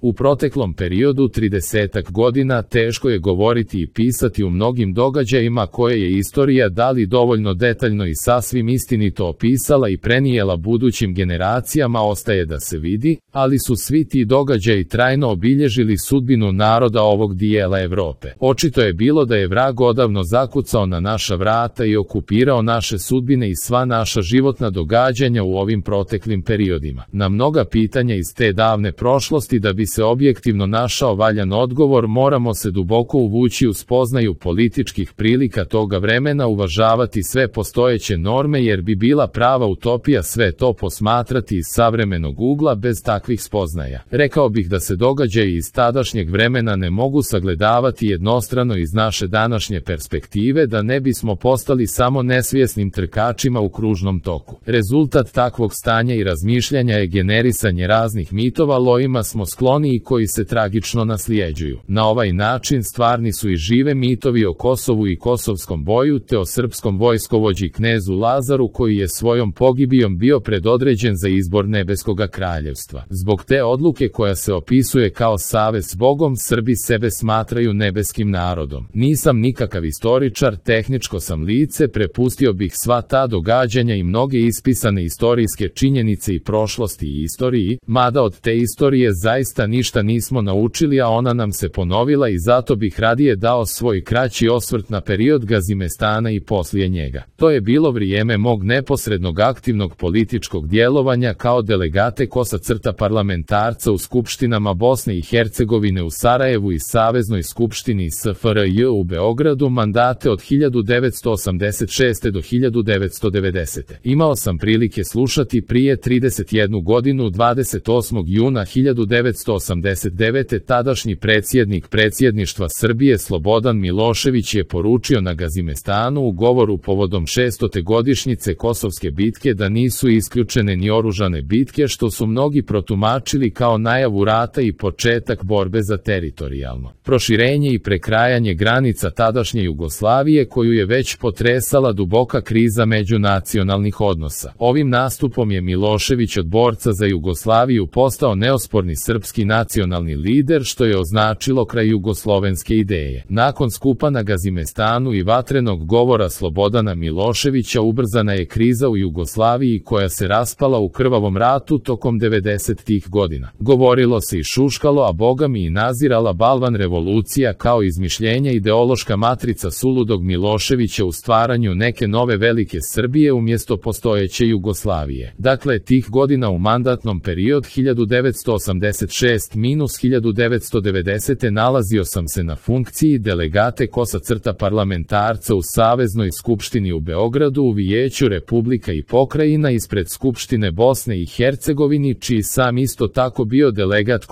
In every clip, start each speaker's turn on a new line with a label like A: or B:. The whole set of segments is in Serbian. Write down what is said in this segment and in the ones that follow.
A: U proteklom periodu 30 godina teško je govoriti i pisati u mnogim događajima koje je istorija da li dovoljno detaljno i sasvim istinito opisala i prenijela budućim generacijama ostaje da se vidi, ali su svi ti događaji trajno obilježili sudbinu naroda ovog dijela Evrope. Očito je bilo da je vrag odavno zakucao na naša vrata i okupirao naše sudbine i sva naša životna događanja u ovim proteklim periodima. Na mnoga pitanja iz te davne prošlosti da bi se objektivno našao valjan odgovor moramo se duboko uvući u spoznaju političkih prilika toga vremena, uvažavati sve postojeće norme jer bi bila prava utopija sve to posmatrati iz savremenog ugla bez takvih spoznaja. Rekao bih da se događaji iz tadašnjeg vremena ne mogu sagledavati jednostrano iz naše današnje perspektive da ne bismo postali samo nesvjesnim trkačima u kružnom toku. Rezultat takvog stanja i razmišljanja je generisanje raznih mitova lojima smo skloni i koji se tragično nasljeđuju. Na ovaj način stvarni su i žive mitovi o Kosovu i kosovskom boju te o srpskom vojskovođi knezu Lazaru koji je svojom pogibijom bio predodređen za izbor nebeskoga kraljevstva. Zbog te odluke koja se opisuje kao savez s Bogom, Srbi sebe smatraju nebeskim narodom. Nisam nikakav istoričar, tehničko sam lice, prepustio bih sva ta događanja i mnoge ispisane istorijske činjenice i prošlosti i istoriji, mada od te istorije zaista ništa nismo naučili, a ona nam se ponovila i zato bih radije dao svoj kraći osvrt na period Gazimestana i poslije njega. To je bilo vrijeme mog neposrednog aktivnog političkog djelovanja kao delegate parlamentarca u skupštinama Bosne i Hercegovine u Sarajevu i Saveznoj skupštini SFRJ u Beogradu mandate od 1986. do 1990. Imao sam prilike slušati prije 31 godinu 28. juna 1989. tadašnji predsjednik predsjedništva Srbije Slobodan Milošević je poručio na Gazimestanu u govoru povodom 600. godišnjice Kosovske bitke da nisu isključene ni oružane bitke što su mnogi protumačili kao najavu rata i početak borbe za teritorijalno proširenje i prekrajanje granica tadašnje Jugoslavije koju je već potresala duboka kriza međunacionalnih odnosa. Ovim nastupom je Milošević od borca za Jugoslaviju postao neosporni srpski nacionalni lider što je označilo kraj jugoslovenske ideje. Nakon skupa na Gazimestanu i vatrenog govora Slobodana Miloševića ubrzana je kriza u Jugoslaviji koja se raspala u krvavom ratu tokom 90-tih godina. Govorilo se i šuškalo, a bogami i nazirala balvan revolucija kao izmišljenja ideološka matrica suludog Miloševića u stvaranju neke nove velike Srbije umjesto postojeće Jugoslavije. Dakle, tih godina u mandatnom period 1986-1990 nalazio sam se na funkciji delegate parlamentarca u Saveznoj skupštini u Beogradu u Vijeću Republika i pokrajina ispred Skupštine Bosne i Hercegovini, čiji sam isto tako bio delegat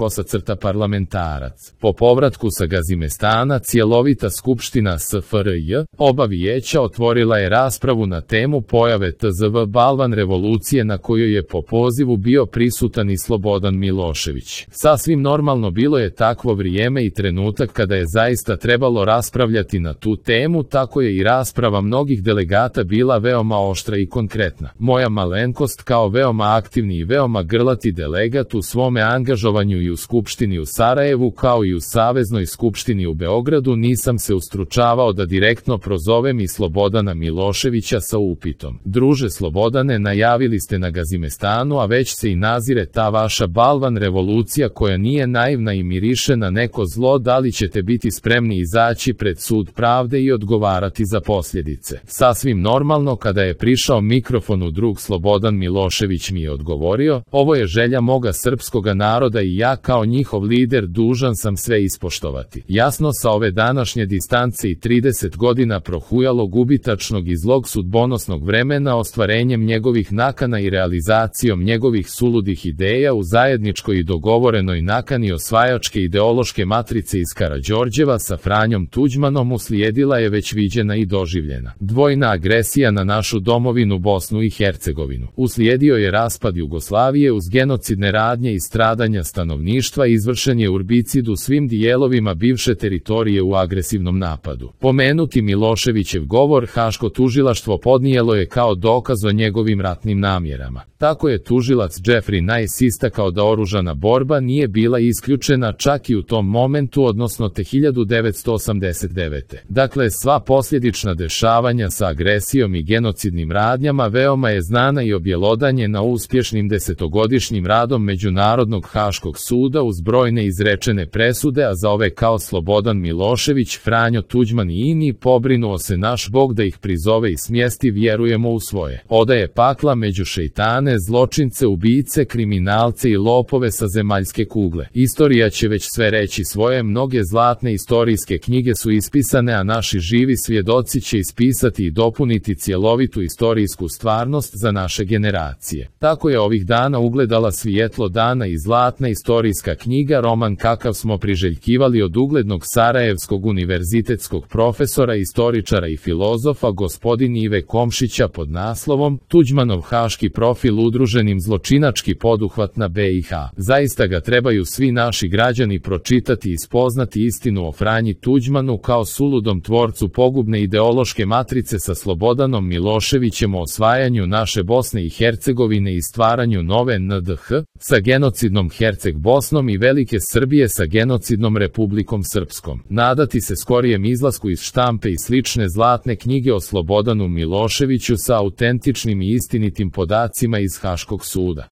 A: parlamentarac. Po povratku sa Gazimestana cjelovita skupština SFRJ, oba vijeća otvorila je raspravu na temu pojave TZV balvan revolucije na kojoj je po pozivu bio prisutan i Slobodan Milošević. Sasvim normalno bilo je takvo vrijeme i trenutak kada je zaista trebalo raspravljati na tu temu, tako je i rasprava mnogih delegata bila veoma oštra i konkretna. Moja malenkost kao veoma aktivni i veoma grlati delegat u svome angažovanju i u Skupštini u Sarajevu kao i u Saveznoj skupštini u Beogradu nisam se ustručavao da direktno prozovem i Slobodana Miloševića sa upitom: druže Slobodane, najavili ste na Gazimestanu, a već se i nazire ta vaša balvan revolucija koja nije naivna i miriše na neko zlo, da li ćete biti spremni izaći pred sud pravde i odgovarati za posljedice? Sasvim normalno, kada je prišao mikrofonu drug Slobodan Milošević mi je odgovorio: ovo je želja moga srpskoga naroda i ja kao njihov lider dužan sam sve ispoštovati. Jasno, sa ove današnje distance i 30 godina prohujalog ubitačnog i zlog sudbonosnog vremena ostvarenjem njegovih nakana i realizacijom njegovih suludih ideja u zajedničkoj i dogovorenoj nakani osvajačke ideološke matrice iz Karađorđeva sa Franjom Tuđmanom uslijedila je već viđena i doživljena dvojna agresija na našu domovinu Bosnu i Hercegovinu. Uslijedio je raspad Jugoslavije uz genocidne radnje i stradanja stanovništva, izvršen je urbicid u svim dijelovima bivše teritorije u agresivnom napadu. Pomenuti Miloševićev govor Haško tužilaštvo podnijelo je kao dokaz o njegovim ratnim namjerama. Tako je tužilac Jeffrey Nice istakao da oružana borba nije nije bila isključena čak i u tom momentu, odnosno te 1989. Dakle, sva posljedična dešavanja sa agresijom i genocidnim radnjama veoma je znana i objelodanjena uspješnim desetogodišnjim radom Međunarodnog haškog suda uz brojne izrečene presude, a za ove kao Slobodan Milošević, Franjo Tuđman i ini pobrinuo se naš Bog da ih prizove i smjesti, vjerujemo u svoje odaje pakla među šejtane, zločince, ubice, kriminalce i lopove sa zemaljske kugle. Istorija će već sve reći svoje, mnoge zlatne istorijske knjige su ispisane, a naši živi svjedoci će ispisati i dopuniti cjelovitu istorijsku stvarnost za naše generacije. Tako je ovih dana ugledala svjetlo dana i zlatna istorijska knjiga, roman kakav smo priželjkivali od uglednog sarajevskog univerzitetskog profesora, istoričara i filozofa gospodin Ive Komšića pod naslovom Tuđmanov haški profil, udruženim zločinački poduhvat na BiH. Zaista ga trebaju svi naši građani pročitati i spoznati istinu o Franji Tuđmanu kao suludom tvorcu pogubne ideološke matrice sa Slobodanom Miloševićem o osvajanju naše Bosne i Hercegovine i stvaranju nove NDH, sa genocidnom Herceg Bosnom i velike Srbije sa genocidnom Republikom Srpskom. Nadati se skorijem izlasku iz štampe i slične zlatne knjige o Slobodanu Miloševiću sa autentičnim i istinitim podacima iz Haškog suda.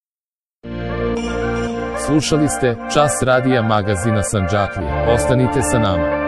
A: Slušali ste Čas radija magazina Sandžaklija. Ostanite sa nama.